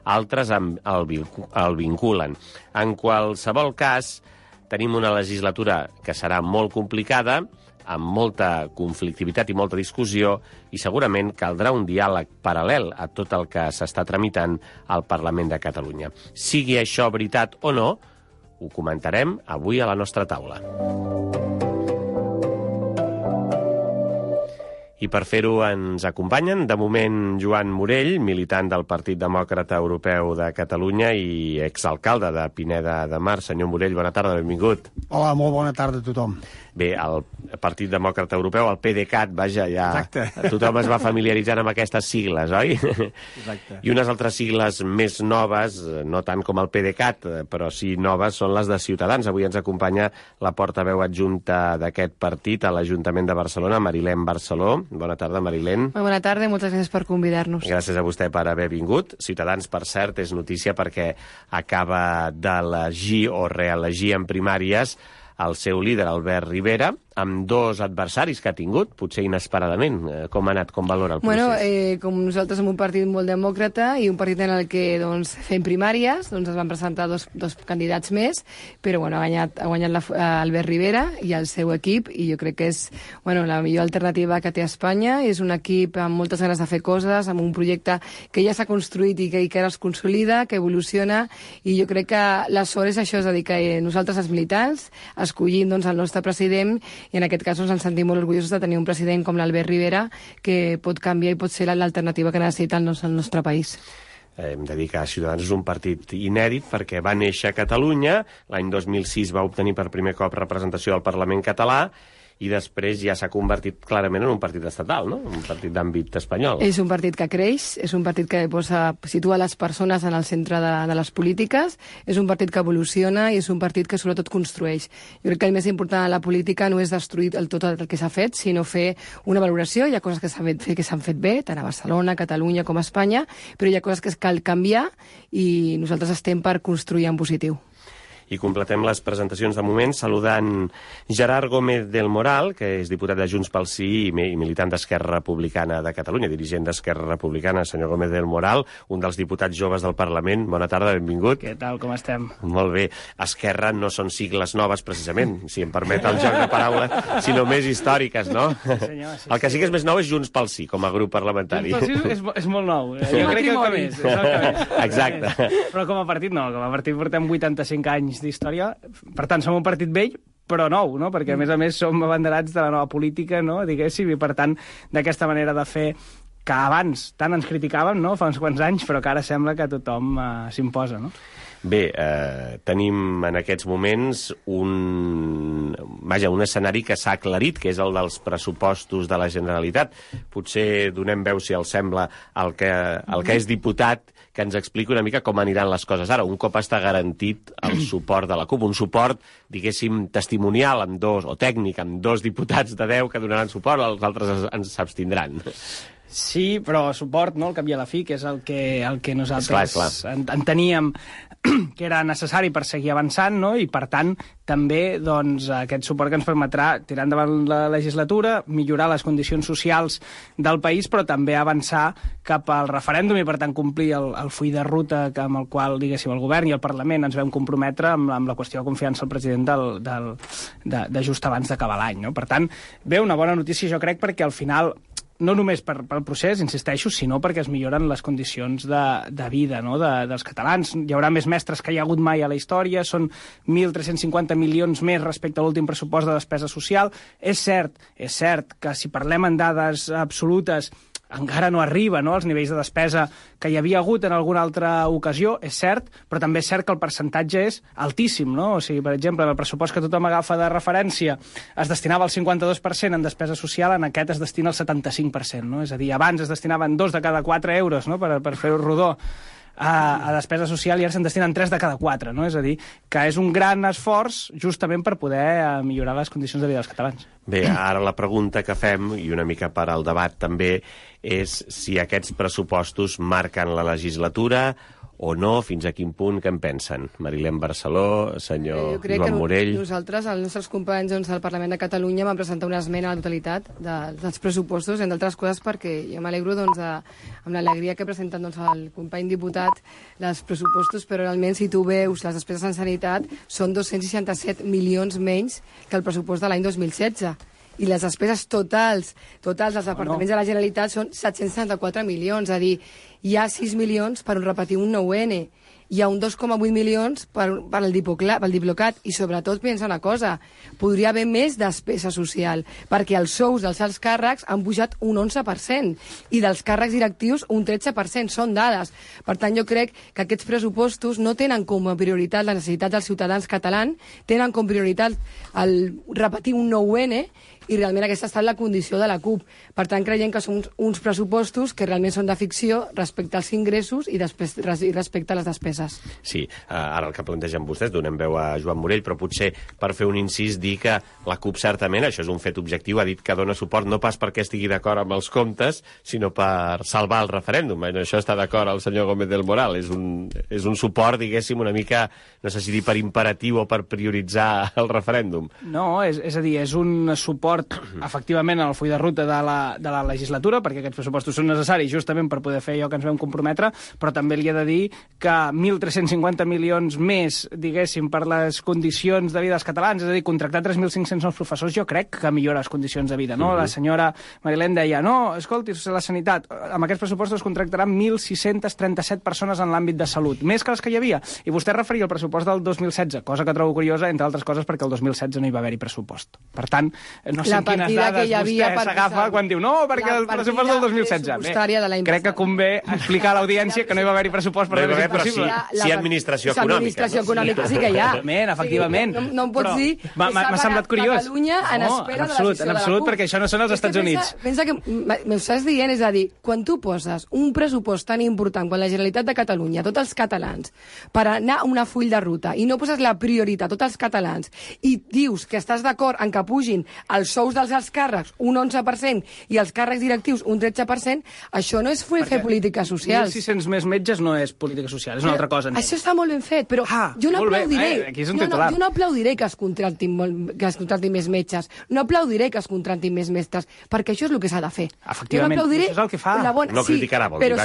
altres el vinculen. En qualsevol cas, tenim una legislatura que serà molt complicada, amb molta conflictivitat i molta discussió, i segurament caldrà un diàleg paral·lel a tot el que s'està tramitant al Parlament de Catalunya. Sigui això veritat o no, ho comentarem avui a la nostra taula. I per fer-ho ens acompanyen, de moment, Joan Morell, militant del Partit Demòcrata Europeu de Catalunya i exalcalde de Pineda de Mar. Senyor Morell, bona tarda, benvingut. Hola, molt bona tarda a tothom. Bé, el Partit Demòcrata Europeu, el PDeCAT, vaja, ja Exacte. Tothom es va familiaritzant amb aquestes sigles, oi? Exacte. I unes altres sigles més noves, no tant com el PDeCAT, però sí noves, són les de Ciutadans. Avui ens acompanya la portaveu adjunta d'aquest partit a l'Ajuntament de Barcelona, Marilén Barceló. Bona tarda, Marilén. Molt bona tarda i moltes gràcies per convidar-nos. Gràcies a vostè per haver vingut. Ciutadans, per cert, és notícia perquè acaba d'elegir o reelegir en primàries el seu líder, Albert Rivera, amb dos adversaris que ha tingut, potser inesperadament. Com ha anat? Com valora el procés? Com nosaltres som un partit molt demòcrata i un partit en el que fem primàries, es van presentar dos candidats més, però ha guanyat Albert Rivera i el seu equip, i jo crec que és la millor alternativa que té Espanya. És un equip amb moltes ganes de fer coses, amb un projecte que ja s'ha construït i que ara es consolida, que evoluciona, i jo crec que la sort és això, és a dir, que nosaltres els militants escollim el nostre president, i en aquest cas ens sentim molt orgullosos de tenir un president com l'Albert Rivera, que pot canviar i pot ser l'alternativa que necessita el nostre país. Hem de dir que Ciutadans és un partit inèdit perquè va néixer a Catalunya, l'any 2006 va obtenir per primer cop representació al Parlament català, i després ja s'ha convertit clarament en un partit estatal, no? Un partit d'àmbit espanyol. És un partit que creix, és un partit que situa les persones en el centre de les polítiques, és un partit que evoluciona i és un partit que sobretot construeix. Jo crec que el més important de la política no és destruir tot el que s'ha fet, sinó fer una valoració. Hi ha coses que s'han fet bé, tant a Barcelona, Catalunya com a Espanya, però hi ha coses que cal canviar i nosaltres estem per construir en positiu. I completem les presentacions de moment saludant Gerard Gómez del Moral, que és diputat de Junts pel Sí i militant d'Esquerra Republicana de Catalunya, dirigent d'Esquerra Republicana. Senyor Gómez del Moral, un dels diputats joves del Parlament. Bona tarda, benvingut. Què tal, com estem? Molt bé. Esquerra no són sigles noves, precisament, si em permet el joc de paraules, sinó més històriques, no? Sí, senyor, sí, el que sí que és més nou és Junts pel Sí, com a grup parlamentari. Junts pel Sí és molt nou. Jo crec que el que més. Exacte. Però com a partit no, com a partit portem 85 anys d'història, per tant som un partit vell però nou, no? Perquè a més som abanderats de la nova política, no? Diguéssim, i per tant d'aquesta manera de fer que abans tant ens criticàvem, no? Fa uns quants anys, però que ara sembla que tothom s'imposa, no? Bé, tenim en aquests moments un escenari que s'ha aclarit, que és el dels pressupostos de la Generalitat. Potser donem veu, si els sembla, el que és diputat, que ens expliqui una mica com aniran les coses ara, un cop està garantit el suport de la CUP, un suport, diguéssim, testimonial amb o tècnic, amb 2 diputats de 10 que donaran suport, els altres s'abstindran. Sí, però suport, no?, al cap i a la fi, que és el que nosaltres enteníem que era necessari per seguir avançant, no?, i per tant també aquest suport que ens permetrà tirar endavant la legislatura, millorar les condicions socials del país, però també avançar cap al referèndum i per tant complir el full de ruta amb el qual, diguéssim, el govern i el Parlament ens vam comprometre amb la qüestió de confiança al president de just abans d'acabar l'any, no? Per tant, bé, una bona notícia, jo crec, perquè al final no només pel procés, insisteixo, sinó perquè es milloren les condicions de vida, no?, dels catalans. Hi haurà més mestres que hi ha hagut mai a la història, són 1.350 milions més respecte a l'últim pressupost de despesa social. És cert que si parlem en dades absolutes encara no arriba, no?, als nivells de despesa que hi havia hagut en alguna altra ocasió, és cert, però també és cert que el percentatge és altíssim, no? O sigui, per exemple, el pressupost que tothom agafa de referència es destinava al 52% en despesa social, en aquest es destina al 75%, no? És a dir, abans es destinaven 2 de cada 4 euros, no?, per fer-ho rodó, a despesa social, i ara se'n destinen 3 de cada 4, no? És a dir, que és un gran esforç justament per poder millorar les condicions de vida dels catalans. Bé, ara la pregunta que fem, i una mica per al debat també, és si aquests pressupostos marquen la legislatura o no? Fins a quin punt? Què en pensen? Marilén Barceló, senyor Joan Morell... Nosaltres, els nostres companys del Parlament de Catalunya, vam presentar una esmena a la totalitat dels pressupostos, entre altres coses perquè jo m'alegro amb l'alegria que presenten el company diputat dels pressupostos, però realment si tu veus les despeses en sanitat són 267 milions menys que el pressupost de l'any 2016. I les despeses totals dels departaments de la Generalitat són 774 milions, és a dir, hi ha 6 milions per repetir un 9N, hi ha un 2,8 milions per el Diplocat, i sobretot pensa una cosa, podria haver més despesa social, perquè els sous dels alts càrrecs han pujat un 11%, i dels càrrecs directius un 13%, són dades. Per tant, jo crec que aquests pressupostos no tenen com a prioritat les necessitats dels ciutadans catalans, tenen com a prioritat el repetir un 9N, i realment aquesta ha estat la condició de la CUP. Per tant, creiem que són uns pressupostos que realment són de ficció respecte als ingressos i respecte a les despeses. Sí, ara el que plantegen vostès, donem veu a Joan Morell, però potser per fer un incís dir que la CUP certament, això és un fet objectiu, ha dit que dona suport no pas perquè estigui d'acord amb els comptes, sinó per salvar el referèndum. En això està d'acord el senyor Gómez del Moral. És un suport, diguéssim, una mica, no sé si dir per imperatiu o per prioritzar el referèndum. No, és a dir, és un suport efectivament al full de ruta de la legislatura, perquè aquests pressupostos són necessaris justament per poder fer allò que ens vam comprometre, però també li he de dir que 1.350 milions més, diguéssim, per les condicions de vida dels catalans, és a dir, contractar 3.500 nous professors, jo crec que millora les condicions de vida, no? La senyora Marilén deia, no, escolti, la sanitat, amb aquests pressupostos contractaran 1.637 persones en l'àmbit de salut, més que les que hi havia, i vostè referia al pressupost del 2016, cosa que trobo curiosa, entre altres coses, perquè el 2016 no hi va haver-hi pressupost. Per tant, no sé quines dades vostè s'agafa quan diu no, perquè el pressupost del 2016. Bé, crec que convé explicar a l'audiència que no hi va haver-hi pressupost per fer-ho possible. Sí, administració econòmica. Administració econòmica sí que hi ha. Efectivament. No em pots dir que m'ha semblat curiós. Catalunya en espera de la decisió de la CUP. En absolut, perquè això no són els Estats Units. Pensa que m'ho estàs dient, és a dir, quan tu poses un pressupost tan important, quan la Generalitat de Catalunya, tots els catalans, per anar a una full de ruta, i no poses la prioritat, tots els catalans, i dius que estàs d'acord en que pugin els sous dels alts càrrecs un 11% i els càrrecs directius un 13%, això no és fer polítiques socials. 1.600 més metges no és política social, és una altra cosa. Això està molt ben fet, però jo no aplaudiré. Jo no aplaudiré que es contractin més metges, no aplaudiré que es contractin més mestres, perquè això és el que s'ha de fer. Efectivament, això és el que fa. No criticarà, vol dir, però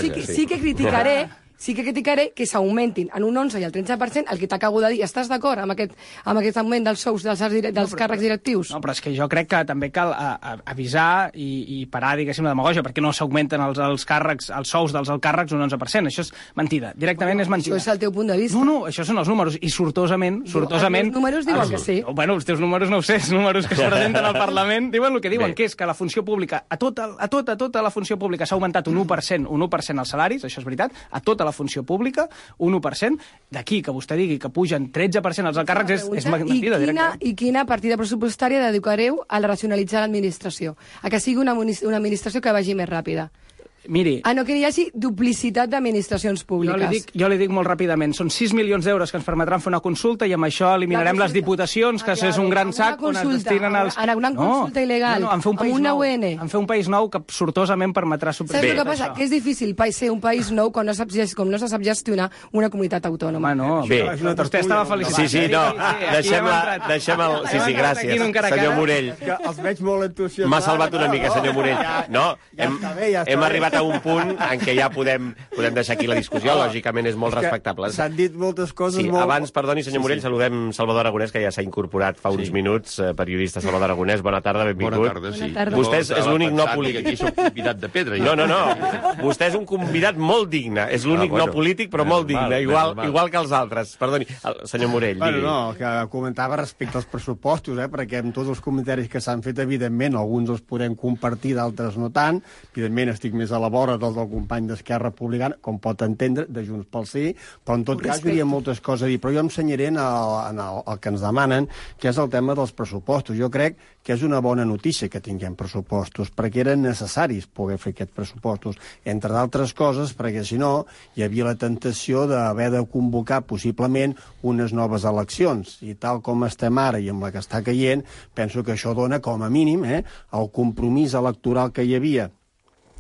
sí que criticaré que s'augmentin en un 11 i el 13% el que t'acabo de dir. Estàs d'acord amb aquest augment dels sous dels càrrecs directius? No, però és que jo crec que també cal avisar i parar, diguéssim, la demagògia, perquè no s'augmenten els càrrecs, els sous dels alts càrrecs un 11%. Això és mentida. Directament és mentida. Això és el teu punt de vista. No, això són els números. I sortosament... Els números diuen que sí. Bueno, els teus números no ho sé, els números que es presenten al Parlament diuen el que diuen, que és que la funció pública, a tota la funció pública s'ha augmentat un 1% els salaris, això és veritat, a tota la funció pública, un 1%, d'aquí que vostè digui que pugen 13% els alts càrrecs és mentida directament. I quina partida pressupostària dedicareu a racionalitzar l'administració? A que sigui una administració que vagi més ràpida? Miri... no, que hi hagi duplicitat d'administracions públiques. Jo li dic molt ràpidament. Són 6 milions d'euros que ens permetran fer una consulta i amb això eliminarem les diputacions, que és un gran sac on es destinen els... En una consulta il·legal, amb un 9N. En fer un país nou que sortosament permetrà suprimir. Saps el que passa? Que és difícil ser un país nou com no se sap gestionar una comunitat autònoma. Vostè estava felicitat. Sí, no. Deixem el... Sí, gràcies. Senyor Morell. Els veig molt entusiasmats. M'ha salvat una mica, senyor Morell. No, hem arribat a un punt en què ja podem deixar aquí la discussió, lògicament és molt respectable. S'han dit moltes coses molt... Abans, perdoni, senyor Morell, saludem Salvador Aragonès, que ja s'ha incorporat fa uns minuts, periodista Salvador Aragonès, bona tarda, benvingut. Bona tarda, sí. Vostè és l'únic no polític. Aquí soc convidat de pedra. No. Vostè és un convidat molt digne, és l'únic no polític, però molt digne, igual que els altres. Perdoni, senyor Morell, digui. No, que comentava respecte als pressupostos, perquè amb tots els comentaris que s'han fet, evidentment, alguns els podem compartir, d'altres no tant. Evidentment, estic més a la vora del company d'Esquerra Republicana, com pot entendre, de Junts pel Sí, però en tot cas hi hauria moltes coses a dir. Però jo em senyaré en el que ens demanen, que és el tema dels pressupostos. Jo crec que és una bona notícia que tinguem pressupostos, perquè eren necessaris poder fer aquests pressupostos, entre d'altres coses, perquè si no hi havia la tentació d'haver de convocar possiblement unes noves eleccions, i tal com estem ara i amb la que està caient, penso que això dona com a mínim el compromís electoral que hi havia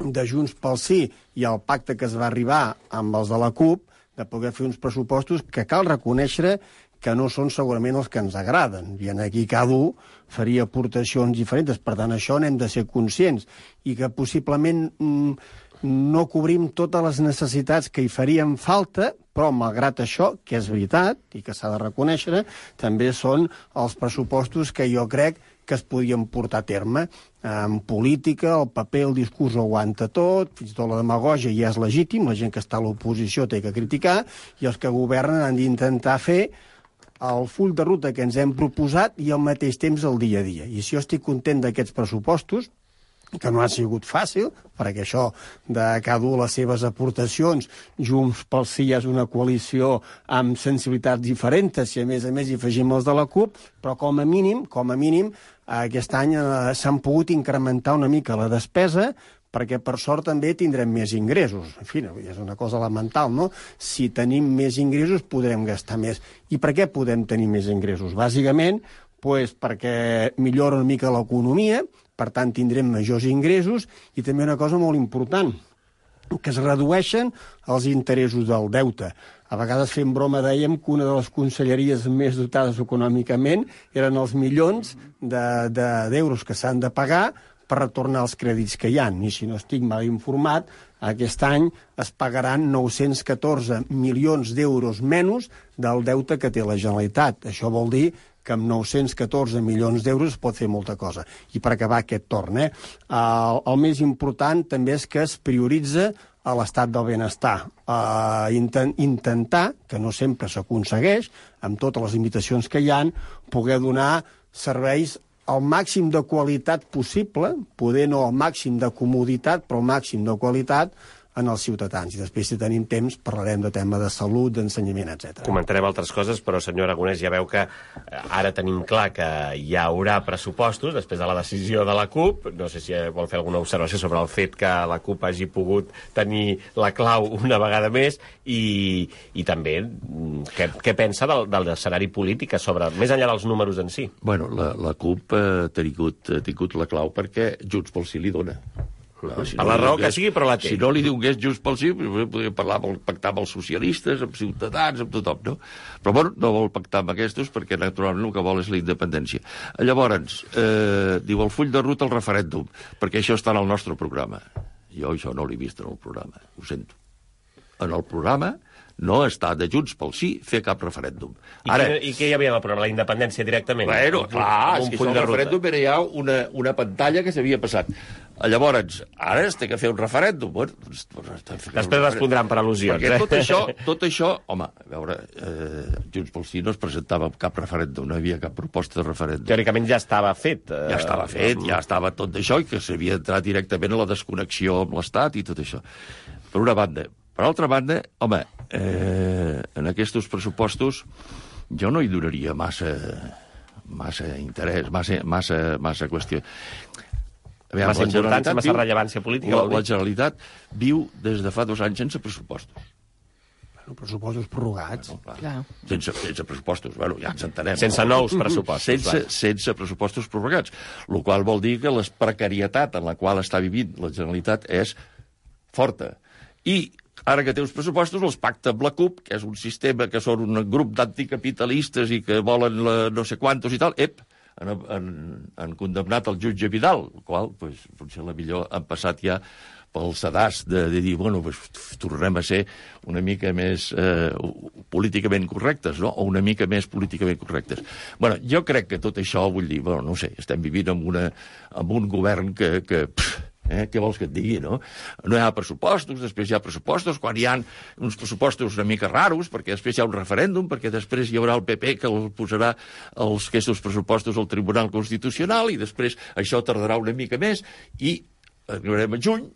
de Junts pel Sí i el pacte que es va arribar amb els de la CUP, de poder fer uns pressupostos que cal reconèixer que no són segurament els que ens agraden. I aquí cada un faria aportacions diferents. Per tant, això n'hem de ser conscients. I que possiblement no cobrim totes les necessitats que hi farien falta, però malgrat això, que és veritat i que s'ha de reconèixer, també són els pressupostos que jo crec que es podien portar a terme. En política, el paper, el discurs ho aguanta tot, fins i tot la demagògia ja és legítim, la gent que està a l'oposició té que criticar, i els que governen han d'intentar fer el full de ruta que ens hem proposat i al mateix temps el dia a dia. I si jo estic content d'aquests pressupostos, que no ha sigut fàcil, perquè això de cada un les seves aportacions, Junts pel Sí és una coalició amb sensibilitats diferents, si a més hi afegim els de la CUP, però com a mínim, aquest any s'han pogut incrementar una mica la despesa, perquè per sort també tindrem més ingressos. En fi, és una cosa elemental, no? Si tenim més ingressos podrem gastar més. I per què podem tenir més ingressos? Bàsicament, perquè millora una mica l'economia, per tant tindrem majors ingressos, i també una cosa molt important, que es redueixen els interessos del deute. A vegades fent broma dèiem que una de les conselleries més dotades econòmicament eren els milions d'euros que s'han de pagar per retornar els crèdits que hi ha. I si no estic mal informat, aquest any es pagaran 914 milions d'euros menys del deute que té la Generalitat. Això vol dir que amb 914 milions d'euros es pot fer molta cosa. I per acabar aquest torn, el més important també és que es prioritza a l'estat del benestar. Intentar, que no sempre s'aconsegueix, amb totes les limitacions que hi ha, poder donar serveis al màxim de qualitat possible, poder no al màxim de comoditat, però al màxim de qualitat en els ciutadans. I després, si tenim temps, parlarem de tema de salut, d'ensenyament, etc. Comentarem altres coses, però, senyor Aragonès, ja veu que ara tenim clar que hi haurà pressupostos després de la decisió de la CUP. No sé si vol fer alguna observació sobre el fet que la CUP hagi pogut tenir la clau una vegada més i també què pensa del escenari polític sobre, més enllà dels números en si. Bueno, la CUP ha tingut la clau perquè Junts pel Sí li dona. Si per la raó que sigui, però la té. Si no li donés Junts pel Sí, podria pactar amb els socialistes, amb Ciutadans, amb tothom, no? Però, bueno, no vol pactar amb aquests perquè, naturalment, el que vol és la independència. Llavors, diu el full de ruta al referèndum, perquè això està en el nostre programa. Jo això no l'he vist en el programa, ho sento. En el programa no està de Junts pel Sí fer cap referèndum. I què hi havia en el programa? La independència directament? Bueno, clar, és que el referèndum era ja una pantalla que s'havia passat. Llavors, ara es té que fer un referèndum. Bueno, després respondran per al·lusions. Perquè tot això, home, a veure, Junts pel Sí no es presentava cap referèndum, no hi havia cap proposta de referèndum. Teòricament ja estava fet. Ja estava tot això, i que s'havia entrat directament a la desconnexió amb l'Estat i tot això. Per una banda. Per altra banda, home, en aquests pressupostos jo no hi donaria massa interès, massa qüestió. Massa importància, massa rellevància política. La Generalitat viu des de fa 2 anys sense pressupostos. Pressupostos prorrogats. Sense pressupostos, bueno, ja ens entenem. Sense nous pressupostos. Sense pressupostos prorrogats, el qual vol dir que la precarietat en la qual està vivint la Generalitat és forta. I ara que té uns pressupostos, els pacta amb la CUP, que és un sistema que són un grup d'anticapitalistes i que volen no sé quantos i tal, han condemnat el jutge Vidal, el qual, potser la millor han passat ja pel sedàs de dir, bueno, tornarem a ser una mica més políticament correctes, no? O una mica més políticament correctes. Bueno, jo crec que tot això, vull dir, bueno, no sé, estem vivint amb un govern que què vols que et digui, no? No hi ha pressupostos, després hi ha pressupostos, quan hi ha uns pressupostos una mica raros, perquè després hi ha un referèndum, perquè després hi haurà el PP que posarà aquests pressupostos al Tribunal Constitucional, i després això tardarà una mica més, i arribarem a juny,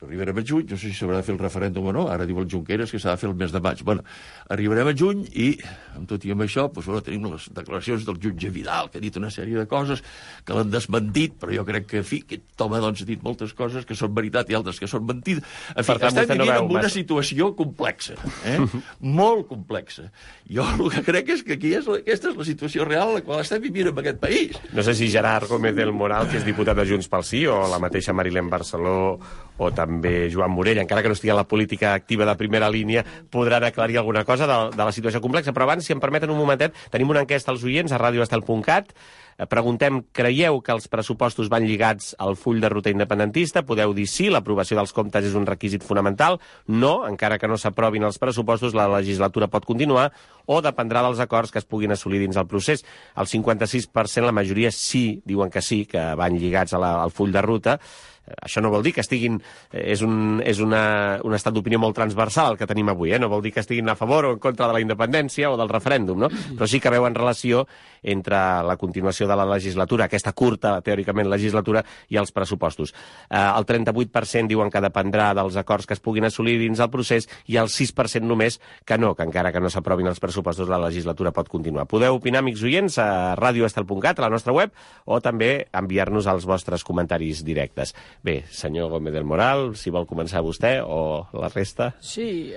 no sé si s'haurà de fer el referèndum o no, ara diu el Junqueras que s'ha de fer el mes de maig. Bueno, arribarem a juny i, amb tot i amb això, tenim les declaracions del jutge Vidal, que ha dit una sèrie de coses que l'han desmentit, però jo crec que, en fi, aquest home ha dit moltes coses que són veritat i altres que són mentides. En fi, estem vivint en una situació complexa, molt complexa. Jo el que crec és que aquesta és la situació real en la qual estem vivint en aquest país. No sé si Gerard Gómez del Moral, que és diputat de Junts pel Sí, o la mateixa Marilén Barceló, o també Joan Morell, encara que no estigui a la política activa de primera línia, podran aclarir alguna cosa de la situació complexa. Però abans, si em permeten un momentet, tenim una enquesta als oients a radioestel.cat. Preguntem, creieu que els pressupostos van lligats al full de ruta independentista? Podeu dir sí, l'aprovació dels comptes és un requisit fonamental. No, encara que no s'aprovin els pressupostos, la legislatura pot continuar, o dependrà dels acords que es puguin assolir dins el procés. El 56%, la majoria sí, diuen que sí, que van lligats al full de ruta. Això no vol dir que estiguin... És un estat d'opinió molt transversal el que tenim avui, no vol dir que estiguin a favor o en contra de la independència o del referèndum, no? Però sí que veuen relació entre la continuació de la legislatura, aquesta curta, teòricament, legislatura, i els pressupostos. El 38% diuen que dependrà dels acords que es puguin assolir dins el procés i el 6% només que no, que encara que no s'aprovin els pressupostos, la legislatura pot continuar. Podeu opinar, amics oients, a radioestel.cat, a la nostra web, o també enviar-nos els vostres comentaris directes. Bé, senyor Gómez del Moral, si vol començar vostè o la resta. Sí,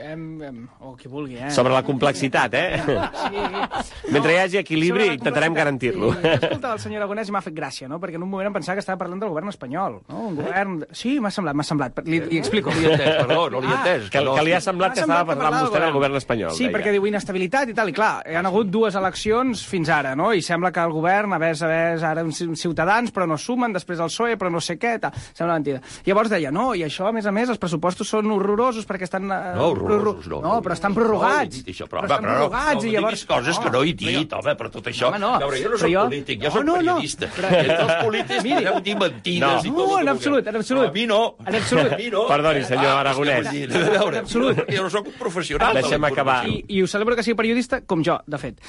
o qui vulgui, Sobre la complexitat, Sí. Mentre hi hagi equilibri, intentarem garantir-lo. Sí. Escolta, el senyor Aragonès m'ha fet gràcia, no? Perquè en un moment em pensava que estava parlant del govern espanyol, no? Un govern... Sí, m'ha semblat. Li explico. No l'hi he entès, perdó, no l'hi he entès. Que li ha semblat que estava parlant vostè del govern espanyol. Sí, perquè diu inestabilitat i tal, i clar, hi ha hagut 2 eleccions fins ara, no? I sembla que el govern, a més, ara uns Ciutadans, però no sumen, després el PSOE, però no sé què, tal. Sembla mentida. Llavors deia, no, i això, a més, els pressupostos són horrorosos perquè estan... No, horrorosos, no. No, però estan prorrogats. Però estan prorrogats, i llavors... No diguis coses que no he dit, home, però tot això... A veure, jo no soc polític, jo soc periodista. Entre els polítics podeu dir mentides i tot. No, en absolut. A mi no. En absolut. Perdoni, senyor Aragonès. A veure, jo no soc un professional. Deixem acabar. I ho celebro que sigui periodista, com jo, de fet.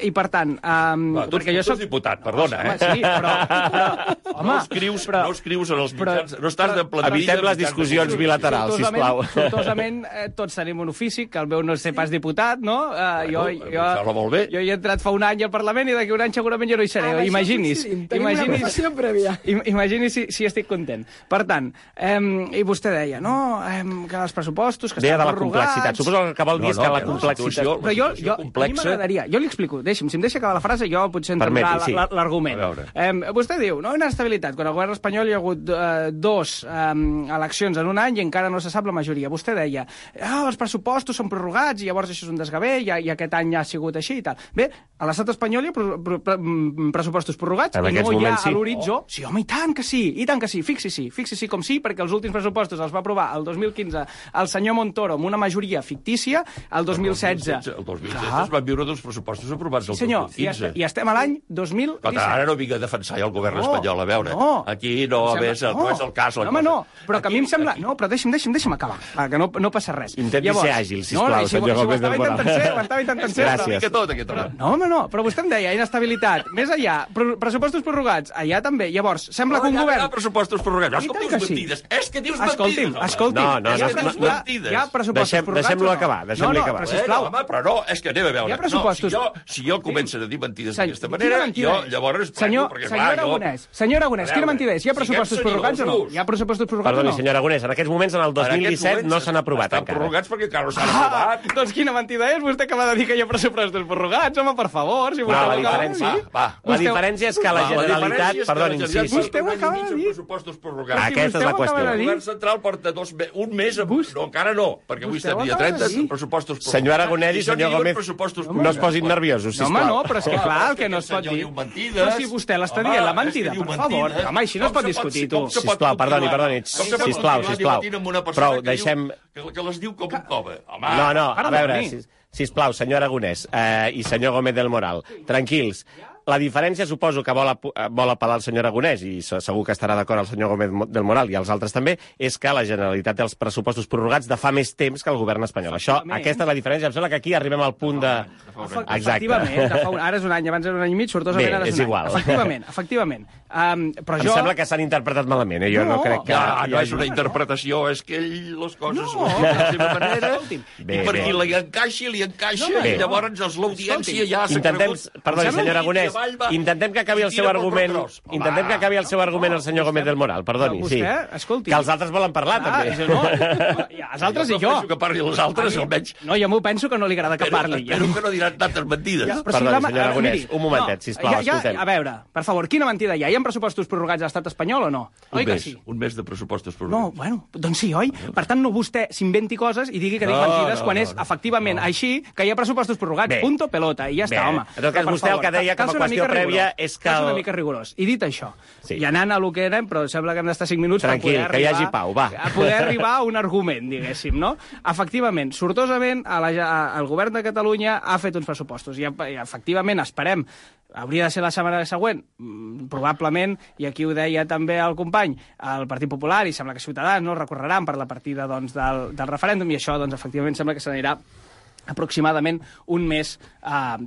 I per tant... Tu ets diputat, perdona, Sí, però... No escrius en els mitjans, no estàs de plantilla... Evitem les discussions bilaterals, sisplau. Sortosament, tots tenim un ofici, que el meu no és ser pas diputat, no? Jo hi he entrat fa un any al Parlament i d'aquí un any segurament jo no hi seré. Imagini's si estic content. Per tant, i vostè deia, no, que els pressupostos, que estan prorrogats... Deia de la complexitat. Suposo que el que vol dir és que la complexitat... Però a mi m'agradaria... Jo li explico, si em deixa acabar la frase, jo potser entendrà l'argument. Vostè diu, no, inestabilitat. Quan al govern espanyol hi ha hagut 2 eleccions en un any i encara no se sap la majoria. Vostè deia, els pressupostos són prorrogats i llavors això és un desgavell i aquest any ha sigut així i tal. Bé, a l'estat espanyol hi ha pressupostos prorrogats i no hi ha a l'horitzó... Sí, home, i tant que sí. Fixi-s'hi com sí, perquè els últims pressupostos els va aprovar el 2015 el senyor Montoro amb una majoria fictícia, el 2016... El 2016 es van viure 2 pressupostos aprovats el 2015. Senyor, i estem a l'any 2017. Ara no vinc a defensar el govern espanyol, a veure. Aquí no és el cas. Home, no, però que a mi em sembla... No, però deixa'm acabar, que no passa res. Intenti ser àgil, sisplau, senyor Gómez del Moral. Ho estava intentant ser. Gràcies. No, home, no, però vostè em deia inestabilitat. Més allà, pressupostos prorrogats, allà també. Llavors, sembla que un govern... Hi ha pressupostos prorrogats. Com dius mentides? És que dius mentides. Escolti'm. Hi ha pressupostos prorrogats. Deixem-lo acabar. Però sisplau. Home, però no, és que anem a veure. Hi ha pressupostos... Si jo començo a dir mentides d'aquesta manera, jo llavors... Senyor Aragonès, quina mentida és? Hi ha pressupostos prorrogats o no? Hi ha pressupostos prorrogats o no? Perdoni, senyor Aragonès, en aquests moments, en el 2017, no s'han aprovat encara. Estan prorrogats perquè encara no s'han aprovat. Doncs quina mentida és? Vostè acaba de dir que hi ha pressupostos prorrogats, home, per favor. Si la diferència és que la Generalitat... Perdoni, sí. Vostè ho acaba de dir. Pressupostos prorrogats. Aquesta és la qüestió. El govern central porta un mes... No, encara no, perquè avui estem dia 30, pressupostos prorrogats. Senyor Aragonès i senyor Gómez, no es posin nerviosos, sisplau. Home, no, però és que clar, el que no es pot dir... Però si vostè l'està dient, la mentida, per favor. Home, així no es pot discutir, tu. Sisplau, perdoni. Sisplau. Prou, deixem... Que les diu com un cove. No, a veure, sisplau, senyor Aragonès i senyor Gómez del Moral, tranquils. La diferència, suposo que vol apel·lar el senyor Aragonès, i segur que estarà d'acord el senyor Gómez del Moral i els altres també, és que la Generalitat té els pressupostos prorrogats de fa més temps que el govern espanyol. Aquesta és la diferència. Em sembla que aquí arribem al punt de... Efectivament, ara és un any, abans era un any i mig, sortosament ara és un any. Efectivament. Però em sembla que s'han interpretat malament, jo no crec que... No és una interpretació, és que ell les coses les diu de la seva manera, i per qui li encaixa, i llavors l'audiència ja s'ha cregut... Perdoni, senyor Aragonès, intentem que acabi el seu argument. Intentem que acabi el seu argument el senyor Gómez del Moral, perdoni. Sí. Escolti. Que els altres volen parlar, també. No, els altres i jo. Jo que parli els altres, almenys. No, jo m'ho penso que no li agrada que parli. Espero que no diran tantes mentides. Perdoni, senyor Aragonès, un momentet, sisplau, escoltem. A veure, per favor, quina mentida hi ha? Hi ha pressupostos prorrogats a l'estat espanyol o no? Oi que sí? Un mes de pressupostos prorrogats. No, bueno, doncs sí, oi? Per tant, no vostè s'inventi coses i digui que dic mentides quan és efectivament així que hi ha pressupostos prorrogats. Punto pelota, i ja està, home. En tot cas, vostè el que deia com a qüestió prèvia és que... Cal ser una mica rigorós. I dit això, i anant a lo que érem, però sembla que hem d'estar 5 minuts per poder arribar... Tranquil, que hi hagi pau, va. A poder arribar a un argument, diguéssim, no? Efectivament, sortosament, el govern de Catalunya ha fet uns pressupostos i efectivament esperem. Hauria de ser la setmana següent? Probablement, i aquí ho deia també el company, el Partit Popular, i sembla que Ciutadans no recorreran per la partida doncs, del referèndum, i això doncs, efectivament sembla que s'anirà aproximadament un mes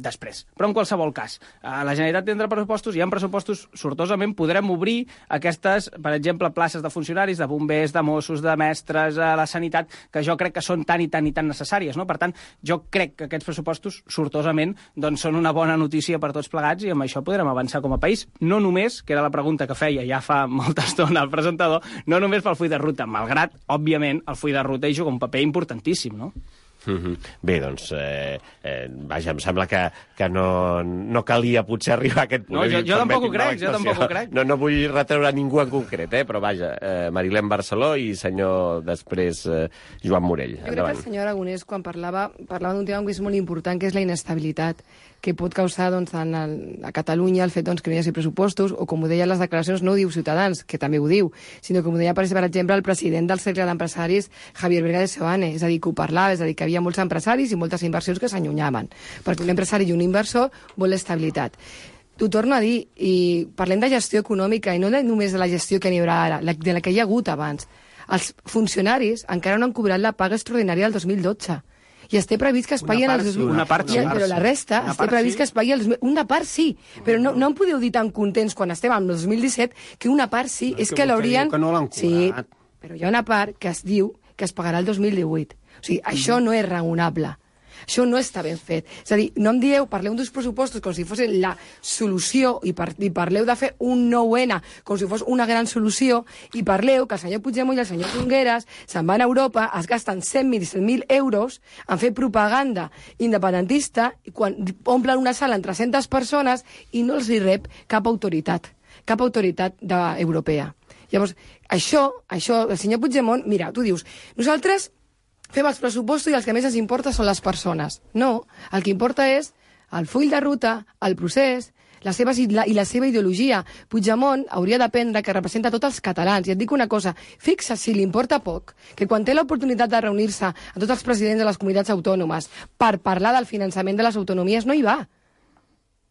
després. Però en qualsevol cas, la Generalitat tindrà pressupostos, hi ha pressupostos, sortosament podrem obrir aquestes, per exemple, places de funcionaris, de bombers, de Mossos, de mestres, a la sanitat, que jo crec que són tan i tan necessàries, no? Per tant, jo crec que aquests pressupostos, sortosament, doncs són una bona notícia per tots plegats i amb això podrem avançar com a país. No només, que era la pregunta que feia ja fa molta estona el presentador, no només pel full de ruta, malgrat, òbviament, el full de ruta hi juga un paper importantíssim, no? Bé, doncs, vaja, em sembla que no calia potser arribar a aquest punt. No, jo tampoc ho crec, No vull retreure a ningú en concret, però vaja, Marilén Barceló i senyor després Joan Morell. Jo crec que el senyor Aragonès, quan parlava d'un tema que és molt important, que és la inestabilitat que pot causar doncs, a Catalunya el fet doncs, que no hi hagi pressupostos, o com ho deien les declaracions, no ho diu Ciutadans, que també ho diu, sinó com ho deia, per exemple, el president del Cercle d'Empresaris, Javier Vega de Seoane, és a dir, que ho parlava, és a dir, que hi havia molts empresaris i moltes inversions que s'allunyaven, perquè un empresari i un inversor vol l'estabilitat. T'ho torno a dir, i parlem de gestió econòmica, i no només de la gestió que n'hi haurà ara, de la que hi ha hagut abans. Els funcionaris encara no han cobrat la paga extraordinària del 2012. I està previst que es pagui el 2012. Una part, sí. Però la resta està previst que es pagui el 2012. Una part sí, però no em podeu dir tan contents quan estem en el 2017 que una part sí, és que l'haurien... Que no l'han cobrat. Sí, però hi ha una part que es diu que es pagarà el 2018. O sigui, això no és raonable. Això no està ben fet. És a dir, no em dieu, parleu d'uns pressupostos com si fossin la solució i parleu de fer un 9N com si fos una gran solució i parleu que el senyor Puigdemont i el senyor Junqueras se'n van a Europa, es gasten 100.000 euros en fer propaganda independentista i quan omplen una sala amb 300 persones i no els hi rep cap autoritat europea. Llavors, això, el senyor Puigdemont, mira, tu dius, nosaltres fem els pressupostos i els que més ens importa són les persones. No, el que importa és el full de ruta, el procés, la seva ideologia. Puigdemont hauria d'aprendre que representa tots els catalans. I et dic una cosa, fixa si li importa poc, que quan té l'oportunitat de reunir-se a tots els presidents de les comunitats autònomes per parlar del finançament de les autonomies, no hi va.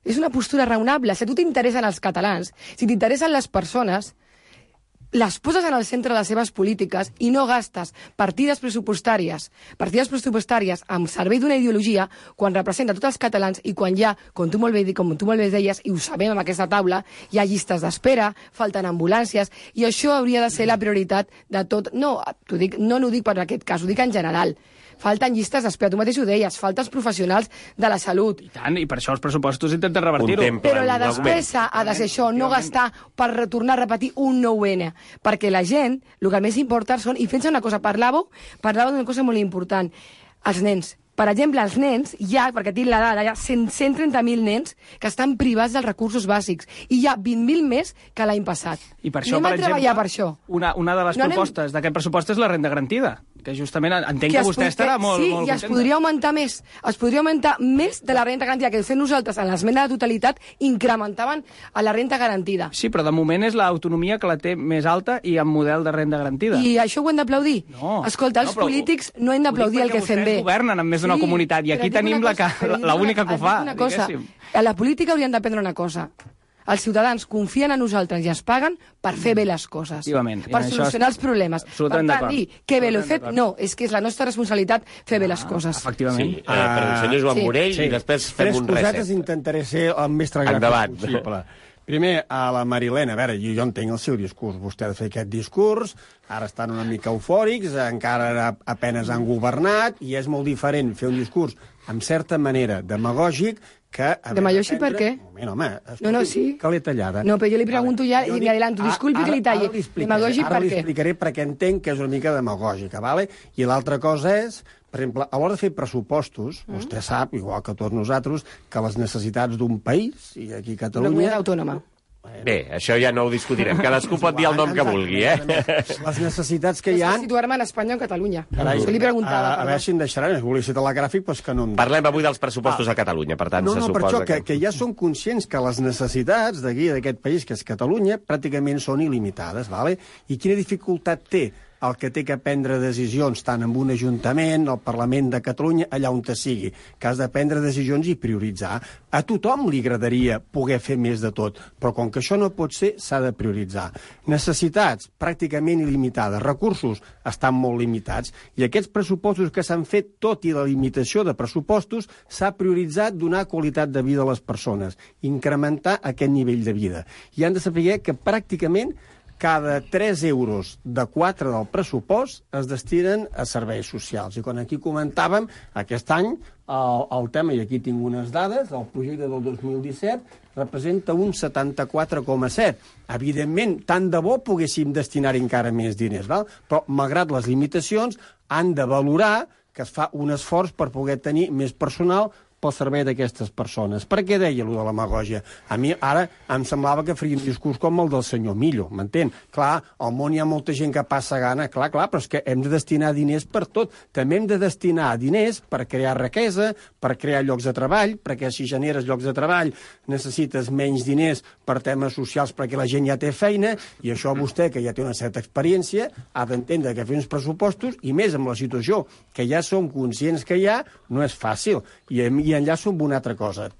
És una postura raonable. Si a tu t'interessen els catalans, si t'interessen les persones, les poses en el centre de les seves polítiques i no gastes partides pressupostàries en servei d'una ideologia quan representa tots els catalans i quan hi ha, com tu molt bé deies, i ho sabem amb aquesta taula, hi ha llistes d'espera, falten ambulàncies, i això hauria de ser la prioritat de tot. No ho dic per aquest cas, ho dic en general. Falten llistes d'espera, tu mateix ho deies, falten professionals de la salut. I tant, i per això els pressupostos intenten revertir-ho. Però la despesa ha de ser això, no gastar per retornar a repetir un 9N. Perquè la gent, el que més importa són... I fent una cosa, parlàveu d'una cosa molt important. Els nens. Per exemple, els nens, perquè tinc la dada, hi ha 130.000 nens que estan privats dels recursos bàsics i hi ha 20.000 més que l'any passat. I per això, per exemple, una de les propostes d'aquest pressupost és la renda garantida, que justament entenc que vostè estarà molt contenta. Sí, i es podria augmentar més. Es podria augmentar més de la renda garantida, que de fet nosaltres, en l'esmena de totalitat, incrementaven a la renda garantida. Sí, però de moment és l'autonomia que la té més alta i amb model de renda garantida. I això ho hem d'aplaudir? No. Escolta, els polítics no hem d'aplaudir el que fem bé. Vostès governen amb més d'una comunitat, i aquí tenim l'única que ho fa, diguéssim. A la política haurien d'aprendre una cosa. Els ciutadans confien en nosaltres i es paguen per fer bé les coses, per solucionar els problemes. Per tant, dir que bé l'he fet, no, és que és la nostra responsabilitat fer bé les coses. Efectivament. Sí, per el senyor Joan Morell i després fem un reset. 3 cosetes intentaré ser el més tragat possible. Primer, a la Marilena, a veure, jo entenc el seu discurs. Vostè ha de fer aquest discurs, ara estan una mica eufòrics, encara apenes han governat, i és molt diferent fer un discurs, en certa manera, demagògic, que... Demagògic per què? Un moment, home, no, sí. Que l'he tallada. No, però jo li pregunto ja i me adelanto. Disculpi que li talli. Demagògic per què? Ara li explicaré perquè entenc que és una mica demagògica, ¿vale? I l'altra cosa és, per exemple, a l'hora de fer pressupostos, vostè sap, igual que tots nosaltres, que les necessitats d'un país, i aquí a Catalunya... Una comunitat autònoma. Bé, això ja no ho discutirem. Cadascú pot dir el nom que vulgui, Les necessitats que hi ha... Situar-me en Espanya o en Catalunya. Carai, Això li preguntava. a veure si em deixaran, és volia ser telegràfic, però és que no em... Parlem avui dels pressupostos a Catalunya, per tant, No, se per suposa això, que ja som conscients que les necessitats d'aquí, d'aquest país, que és Catalunya, pràcticament són il·limitades, ¿vale? I quina dificultat té el que té que prendre decisions tant en un ajuntament, al Parlament de Catalunya, allà on te sigui, que has de prendre decisions i prioritzar. A tothom li agradaria poder fer més de tot, però com que això no pot ser, s'ha de prioritzar. Necessitats pràcticament il·limitades, recursos estan molt limitats, i aquests pressupostos que s'han fet, tot i la limitació de pressupostos, s'ha prioritzat donar qualitat de vida a les persones, incrementar aquest nivell de vida. I han de saber que pràcticament cada 3 euros de 4 del pressupost es destinen a serveis socials. I quan aquí comentàvem, aquest any, el tema, i aquí tinc unes dades, el projecte del 2017 representa un 74,7. Evidentment, tant de bo poguéssim destinar-hi encara més diners, val? Però, malgrat les limitacions, han de valorar que es fa un esforç per poder tenir més personal pel servei d'aquestes persones. Per què deia allò de la demagògia? A mi ara em semblava que faria un discurs com el del senyor Millo, m'entén? Clar, al món hi ha molta gent que passa gana, clar, però és que hem de destinar diners per tot. També hem de destinar diners per crear riquesa, per crear llocs de treball, perquè si generes llocs de treball necessites menys diners per temes socials perquè la gent ja té feina, i això vostè, que ja té una certa experiència, ha d'entendre que fer uns pressupostos, i més amb la situació que ja som conscients que hi ha, no és fàcil. I enllaço amb una altra cosa.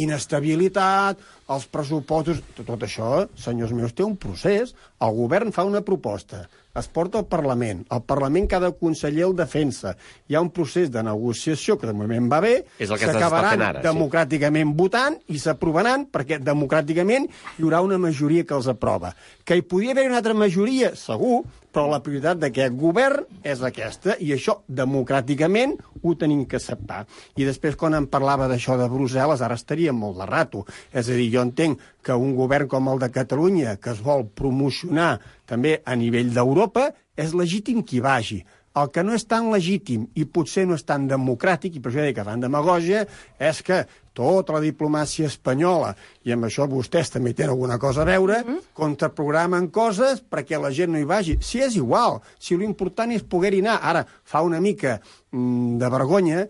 Inestabilitat, els pressupostos... Tot això, senyors meus, té un procés. El govern fa una proposta, es porta al Parlament, el Parlament cada conseller el defensa, hi ha un procés de negociació que de moment va bé, s'acabaran democràticament votant i s'aprovaran perquè democràticament hi haurà una majoria que els aprova. Que hi podia haver una altra majoria, segur, però la prioritat d'aquest govern és aquesta, i això democràticament ho tenim que acceptar. I després, quan em parlava d'això de Brussel·les, ara estaria molt de rato. És a dir, jo entenc que un govern com el de Catalunya, que es vol promocionar també a nivell d'Europa, és legítim que hi vagi. El que no és tan legítim i potser no és tan democràtic, i per això dic que fan demagògia, és que tota la diplomàcia espanyola, i amb això vostès també tenen alguna cosa a veure, contraprogramen coses perquè la gent no hi vagi. Si és igual, si l'important és poder-hi anar. Ara, fa una mica de vergonya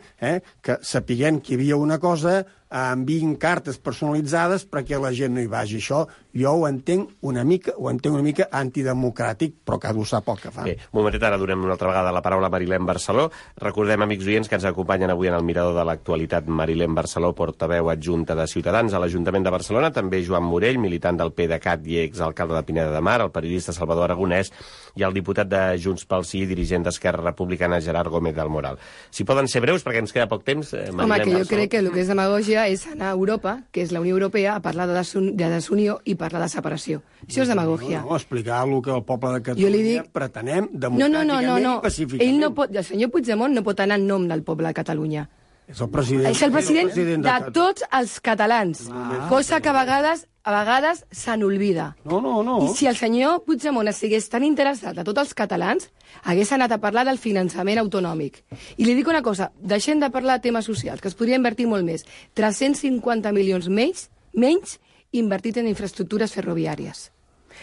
que sapiguem que hi havia una cosa, enviïn cartes personalitzades perquè la gent no hi vagi. Això jo ho entenc una mica antidemocràtic, però cada un sap el que fa. Bé, un momentet, ara donem una altra vegada la paraula a Marilén Barceló. Recordem, amics oients, que ens acompanyen avui en el Mirador de l'Actualitat Marilén Barceló, portaveu adjunta de Ciutadans a l'Ajuntament de Barcelona, també Joan Morell, militant del PDeCAT i exalcalde de Pineda de Mar, el periodista Salvador Aragonès i el diputat de Junts pel Sí, dirigent d'Esquerra Republicana, Gerard Gómez del Moral. Si poden ser breus, perquè ens queda poc temps, Marilén Home, que jo Barceló. crec que el que és demagògia és anar a Europa, que és la Unió Europea, a parlar de desunió i parlar de separació. Això és demagògia. No, explicar el que el poble de Catalunya pretenem democràticament i pacíficament. Ell no pot, el senyor Puigdemont no pot anar en nom del poble de Catalunya. És el president, és el president de tots els catalans, cosa que a vegades se n'olvida. No. I si el senyor Puigdemont estigués tan interessat a tots els catalans, hagués anat a parlar del finançament autonòmic. I li dic una cosa, deixem de parlar de temes socials, que es podria invertir molt més. 350 milions menys invertit en infraestructures ferroviàries.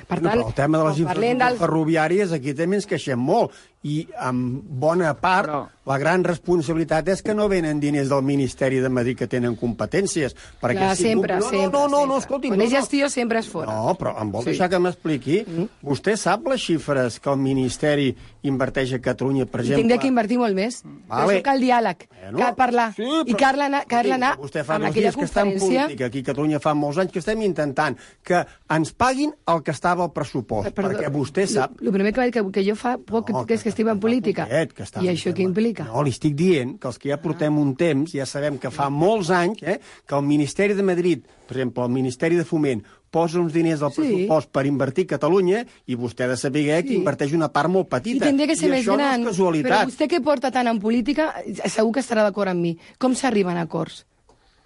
Per tant, el tema de les infraestructures ferroviàries aquí també ens queixem molt, i en bona part la gran responsabilitat és que no venen diners del Ministeri de Madrid, que tenen competències. Sempre. No, escolti. Quan és gestió sempre és fora. No, però em vol deixar que m'expliqui. Vostè sap les xifres que el Ministeri inverteix a Catalunya, per exemple? Tinc de que invertir molt més. Però això cal diàleg, cal parlar. I cal anar vostè fa amb molts aquella dies que està en conferència. política. Aquí a Catalunya fa molts anys que estem intentant que ens paguin el que estava al pressupost, perquè vostè sap... El primer que jo fa poc és que estic en política. I això què implica? No, li estic dient que els que ja portem un temps, ja sabem que fa molts anys que el Ministeri de Madrid, per exemple, el Ministeri de Foment, posa uns diners al pressupost per invertir a Catalunya i vostè ha de saber que inverteix una part molt petita. I tindria que ser més gran. No és casualitat. Però vostè que porta tant en política, segur que estarà d'acord amb mi. Com s'arriben a acords?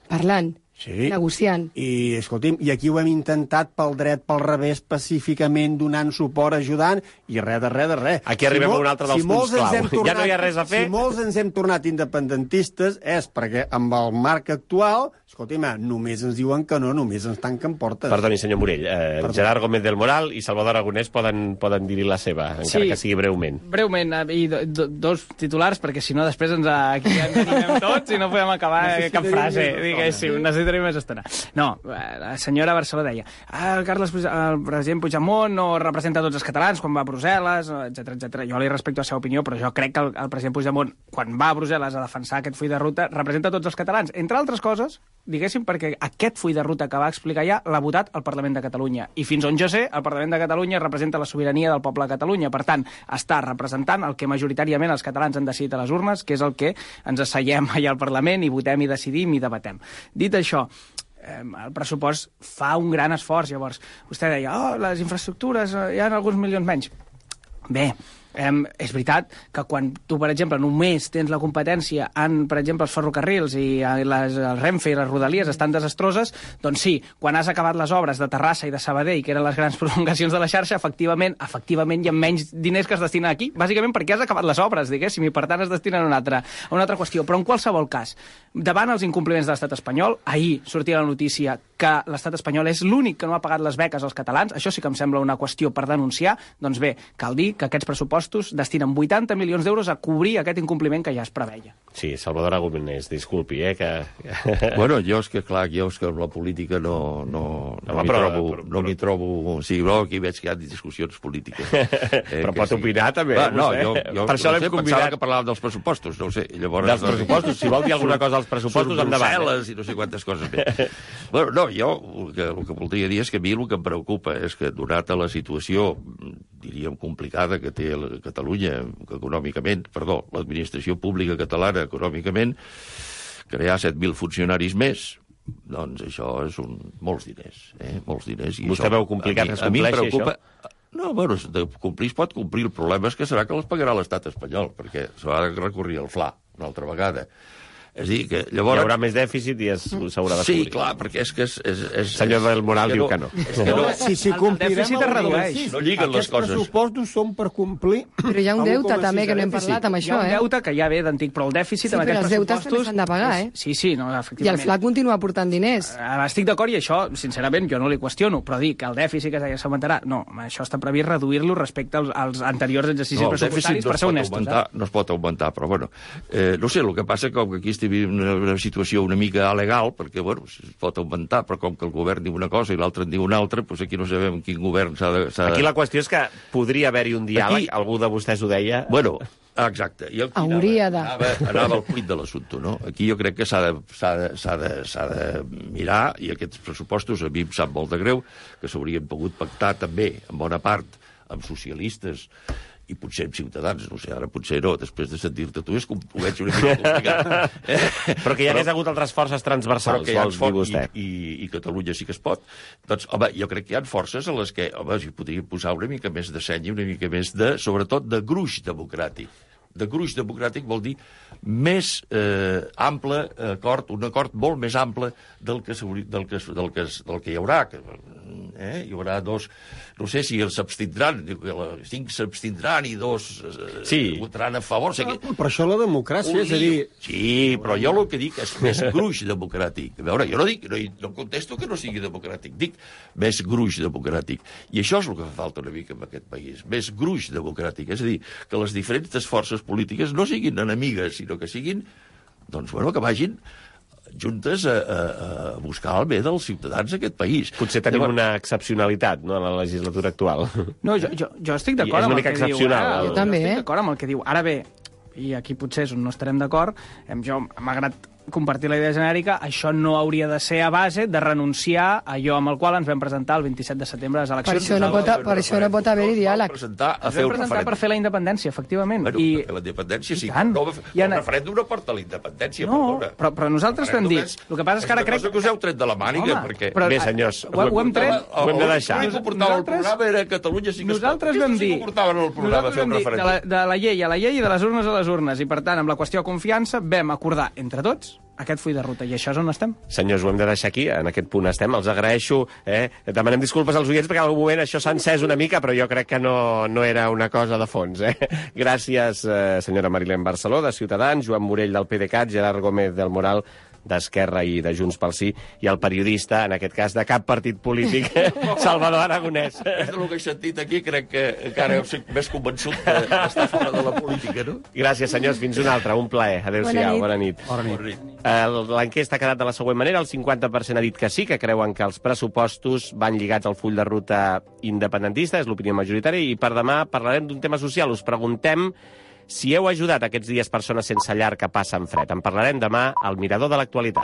Parlant. Sí. Negociant. I, escolti'm, i aquí ho hem intentat pel dret, pel revés, pacíficament, donant suport, ajudant, i res de res. Aquí arribem a un altre dels punts clau. Ja no hi ha res a fer. Si molts ens hem tornat independentistes és perquè amb el marc actual, escolti'm, només ens diuen que no, només ens tanquen portes. Perdoni, senyor Morell. Gerard Gómez del Moral i Salvador Aragonès poden dir-hi la seva, encara que sigui breument. Breument, i dos titulars, perquè si no després aquí ens animem tots i no podem acabar cap frase. Diguéssim, necessitaré més estona. No, la senyora Barceló deia el president Puigdemont no representa tots els catalans quan va a Brussel·les, etc. Jo li respecto la seva opinió, però jo crec que el president Puigdemont, quan va a Brussel·les a defensar aquest full de ruta, representa tots els catalans. Entre altres coses, diguéssim, perquè aquest full de ruta que va explicar ja l'ha votat el Parlament de Catalunya. I fins on jo sé, el Parlament de Catalunya representa la sobirania del poble de Catalunya. Per tant, està representant el que majoritàriament els catalans han decidit a les urnes, que és el que ens asseiem allà al Parlament i votem i decidim i debatem. Dit això, el pressupost fa un gran esforç. Llavors, vostè deia, les infraestructures, hi ha alguns milions menys. Bé, és veritat que quan tu, per exemple, només tens la competència en, per exemple, els ferrocarrils i el Renfe i les Rodalies estan desastroses, doncs sí, quan has acabat les obres de Terrassa i de Sabadell, que eren les grans prolongacions de la xarxa, efectivament hi ha menys diners que es destinen aquí, bàsicament perquè has acabat les obres, diguéssim, i per tant es destinen a una altra qüestió. Però en qualsevol cas, davant els incompliments de l'estat espanyol, ahir sortia la notícia que l'estat espanyol és l'únic que no ha pagat les beques als catalans, això sí que em sembla una qüestió per denunciar, doncs bé, cal dir que aquests pressupostos destinen 80 milions d'euros a cobrir aquest incompliment que ja es preveia. Sí, Salvador Aragonès, disculpi, que... Bueno, jo és que amb la política no m'hi trobo... O sigui, aquí veig que hi ha discussions polítiques. Però pot opinar, també, vostè. Jo per això l'hem convidat. Pensava que parlàvem dels pressupostos, no ho sé. Llavors, dels pressupostos, si vol dir alguna cosa dels pressupostos, endavant. Brussel·les i no sé quantes coses més. Bueno, no, jo el que voldria dir és que a mi el que em preocupa és que, donat a la situació, diríem, complicada que té Catalunya econòmicament, l'administració pública catalana econòmicament, crear 7.000 funcionaris més, doncs això és molts diners. Molts diners. I vostè veu complicat que es compleixi això? No, bueno, de complir es pot complir. El problema és que serà que les pagarà l'estat espanyol, perquè s'ha de recórrer al FLA una altra vegada. És a dir, que llavors... Hi haurà més dèficit i s'haurà de cobrir. Sí, clar, perquè és que senyor del Moral diu que no. Si complirem el dèficit es redueix. No lliguen les coses. Aquests pressupostos són per complir... Però hi ha un deute també, que no hem parlat amb això, Hi ha un deute que ja ve d'antic, però el dèficit amb aquests pressupostos... Sí, però els deutes també s'han de pagar, Sí, no, efectivament. I el FLA continua aportant diners. Estic d'acord, i això, sincerament, jo no li qüestiono, però dir que el dèficit que s'augmentarà, no, això està previst reduir-lo respecte als anteriors exercicis pressupostaris, per ser honestos. No es pot augmentar, però bueno, no sé, el que passa com que aquí estem vivint una situació una mica alegal, perquè, bueno, es pot augmentar, però com que el govern diu una cosa i l'altre en diu una altra, doncs aquí no sabem quin govern s'ha de... Aquí la qüestió és que podria haver-hi un diàleg, algú de vostès ho deia... Bueno, exacte. I hauria de... Anava al plit de l'assumpte, no? Aquí jo crec que s'ha de mirar, i aquests pressupostos a mi em sap molt de greu, que s'haurien pogut pactar també, en bona part, amb socialistes i potser amb Ciutadans, no sé, ara potser no, després de sentir-te tu, ho veig una mica complicat. Però que hi hagués hagut altres forces transversals, vols dir vostè. I Catalunya sí que es pot. Doncs, home, jo crec que hi ha forces a les que, home, s'hi podria posar una mica més de seny i una mica més de, sobretot, de gruix democràtic. De gruix democràtic vol dir més ample acord, un acord molt més ample del que hi haurà. Hi haurà dos... No sé si els s'abstindran, 5 s'abstindran i 2 votaran a favor. Però això la democràcia, és a dir... Sí, però jo el que dic és més gruix democràtic. A veure, jo no contesto que no sigui democràtic, dic més gruix democràtic. I això és el que fa falta una mica en aquest país, més gruix democràtic. És a dir, que les diferents forces polítiques no siguin enemigues, sinó que siguin, doncs, bueno, que vagin juntes a buscar el bé dels ciutadans d'aquest país. Potser tenim una excepcionalitat, no?, en la legislatura actual. No, jo estic d'acord amb el que diu. Jo també, estic d'acord amb el que diu. Ara bé, i aquí potser és on no estarem d'acord, jo m'ha agradat compartir la idea genèrica, això no hauria de ser a base de renunciar a allò amb el qual ens vam presentar el 27 de setembre a les eleccions. Per això no pot haver-hi diàleg. Ens vam Vam presentar per fer la independència, efectivament. Bueno, per fer la independència, sí. El referèndum no porta la independència, perdona. Però nosaltres vam dir... El que passa és que ara crec... És una cosa que us heu tret de la màniga, perquè... Bé, senyors, ho hem tret. Ho hem de deixar. L'únic que portava el programa era Catalunya sí que es pot. Nosaltres vam dir... De la llei a la llei i de les urnes a les urnes. I, per tant, amb la qüestió de confiança, vam acordar entre tots aquest full de ruta, i això és on estem. Senyors, ho hem de deixar aquí, en aquest punt estem, els agraeixo, demanem disculpes als oients perquè en algun moment això s'ha encès una mica, però jo crec que no era una cosa de fons. Gràcies, senyora Marilén Barceló, de Ciutadans, Joan Morell, del PDeCAT, Gerard Gómez del Moral, d'Esquerra i de Junts pel Sí, i el periodista, en aquest cas, de cap partit polític, Salvador Aragonès. És del que he sentit aquí, crec que encara estic més convençut d'estar fora de la política, no? Gràcies, senyors, fins una altra, un plaer. Adéu-siau, bona nit. L'enquesta ha quedat de la següent manera, el 50% ha dit que sí, que creuen que els pressupostos van lligats al full de ruta independentista, és l'opinió majoritària, i per demà parlarem d'un tema social. Us preguntem si heu ajudat aquests dies persones sense llar que passen fred. En parlarem demà al Mirador de l'Actualitat.